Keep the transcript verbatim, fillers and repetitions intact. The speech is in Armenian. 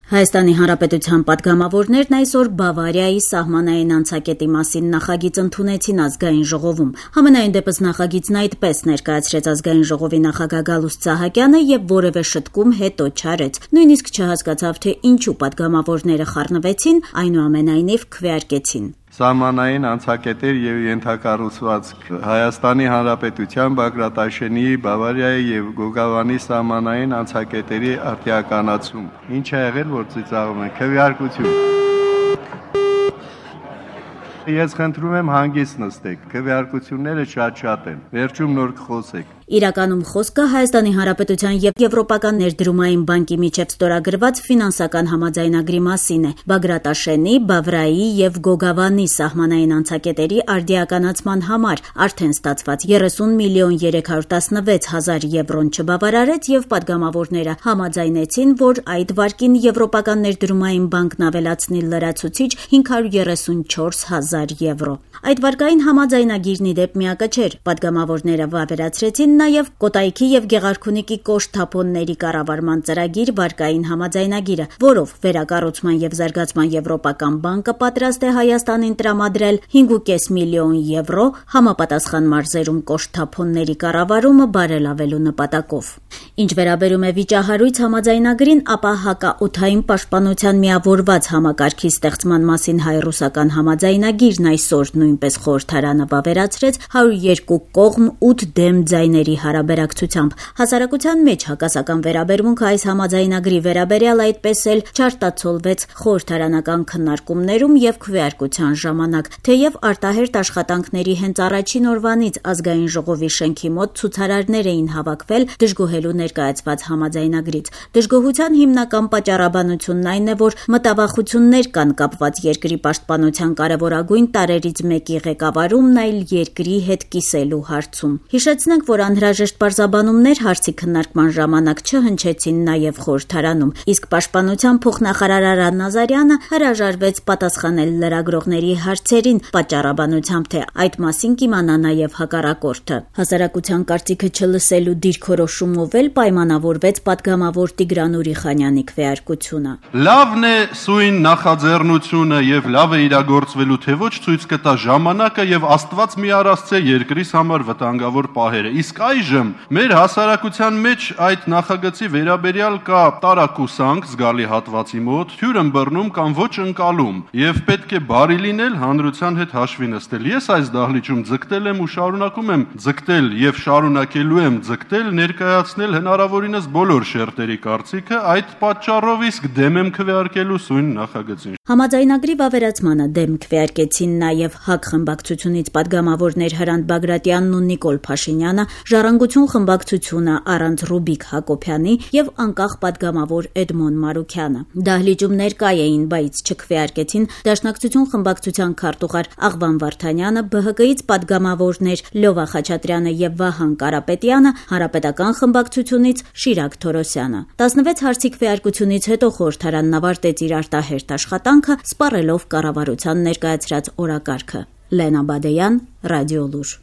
Հայաստանի Հանրապետության պատգամավորներն այսօր Բավարիայի սահմանային անցակետի մասին նախագիծ ընդունեցին ազգային ժողովում։ Համենայն դեպս նախագիծն այդպես ներկայացրեց ազգային ժողովի նախագահ Գալուստ Սահակյանը եւ որևէ շտկում հետո չարեց։ Նույնիսկ չհասկացավ, թե ինչու պատգամավորները խառնվեցին, այնուամենայնիվ քվեարկեցին։ Սահմանային անցակետեր եւ ենթակառուցվածք Հայաստանի Հանրապետության Բագրատաշենի, Բավարիայի եւ Գոգավանի սահմանային անցակետերի արտիականացում։ Ինչ է եղել, որ ծիծաղում են, քվեարկություն։ Ես խնդրում եմ հանգիստ նստեք, քվեարկությունները շատ-շատ են, վերջում նոր կխոսեք։ Իրականում խոսքը Հայաստանի Հանրապետության եւ Եվրոպական ներդրումային բանկի միջև ստորագրված ֆինանսական համաձայնագրի մասին է։ Բագրատաշենի, Բավրայի եւ Գոգավանի սահմանային անցակետերի արդիականացման համար արդեն ստացված երեսուն միլիոն երեք հարյուր տասնվեց հազար եվրոն չբավարարեց եւ պատգամավորները համաձայնեցին, որ այդ վարկին Եվրոպական ներդրումային բանկն ավելացնի լրացուցիչ հինգ հարյուր երեսունչորս հազար եվրո։ Այդ վարկային համաձայնագիրն ի դեպ միակը չէր։ Պատգամավորները վավերացրեցին նաև Կոտայքի եւ Գեղարքունիքի կոշտ-թափոնների կառավարման ծրագիր վարկային համաձայնագիրը, որով վերակառուցման եւ զարգացման Եվրոպական բանկը պատրաստ է Հայաստանին տրամադրել հինգ հարյուր պինգ միլիոն եվրո համապատասխան մարզերում կոշտ-թափոնների կառավարումը բարելավելու նպատակով։ Ինչ վերաբերում է վիճահարույց համաձայնագրին, ապա հակաօդային պաշտպանության միավորված համակարգի ստեղծման մասին հայ-ռուսական համաձայնագիրն այսօր նույնպես խորհրդարանը վավերացրեց հարյուր երկու կողմ ութ դեմ ձայների հարաբերակցությամբ։ Հասարակության մեջ հակասական վերաբերմունքը այս համաձայնագրի վերաբերյալ այդպես էլ չարտացոլվեց խորհրդարանական քննարկումներում եւ քվեարկության ժամանակ, թեև արտահերտ աշխատանքների հենց առաջին օրվանից ազգային ժողովի շենքի մոտ ցուցարարներ էին հավաքվել դժգոհելու ներկայացված համաձայնագրից։ Դժգոհության հիմնական պատճառաբանությունն այն է, որ մտավախություններ կան կապված երկրի պաշտպանության կարևորագույն տարրերից մեկի ղեկավարումն այլ երկրի հետ կիսելու հարցում։ Հիշեցնենք, որ անհրաժեշտ պարզաբանումներ հարցի քննարկման ժամանակ չհնչեցին նաև խորհրդարանում, իսկ պաշտպանության փոխնախարար Արա Նազարյանը հրաժարվեց պատասխանել լրագրողների հարցերին, պատճառաբանությամբ, թե այդ մասին կիմանա նաև հակառակորդը։ Հասարակության կարծիքը չլսելու դիրքորոշումով էլ պայմանավորվեց պատգամավոր Տիգրան Ուրիխանյանի քվեարկությունը։ Լավն է սույն նախաձեռնությունը եւ լավ է իրագործվելու, թե ոչ ցույց կտա ժամանակը եւ Աստված մի առասցե երկրիս համար վտանգավոր պահերը։ Իսկ այժմ մեր հասարակության մեջ այդ նախագծի վերաբերյալ կա տարակուսանք զգալի հատվածի մոտ, թյուրըմբռնում կամ ոչ ընկալում եւ պետք է բարի լինել հանրության հետ հաշվի նստել։ Ես այս դահլիճում ձգտել եմ ու շարունակում եմ ձգտել եւ շարունակելու եմ ձգտել ներկայացնել հնարավորինս բոլոր շերտերի կարծիքը, այդ պատճառով իսկ դեմ եմ քվեարկելու սույն նախագծին։ Համաձայնագրի վավերացմանը դեմ քվեարկեցին նաև ՀԱԿ խմբակցությունից պատգամավորներ Հրանտ Բագրատյանն ու Նիկոլ Փաշինյանը, Ժառանգություն խմբակցությունը առանց Ռուբիկ Հակոբյանի եւ անկախ պատգամավոր Էդմոն Մարուքյանը։ Դահլիճում ներկա էին, բայց չքվեարկեցին Դաշնակցություն խմբակցության քարտուղար Աղվան Վարդանյանը, ԲՀԿ-ից պատգամավորներ Լովա Խաչատրյանը եւ Վահան Կարապետյանը, Հանրապետական խմբակցությունից Շիրակ Թորոսյանը։ տասնվեց հարցի քվեարկությունից հետո խորհրդարանն ավարտեց իր արտահերթ աշխատանքը, սպառելով կառավարության ներկայացրած օրակարգը։ Լենա Բադեյան, Ռադիոլուր։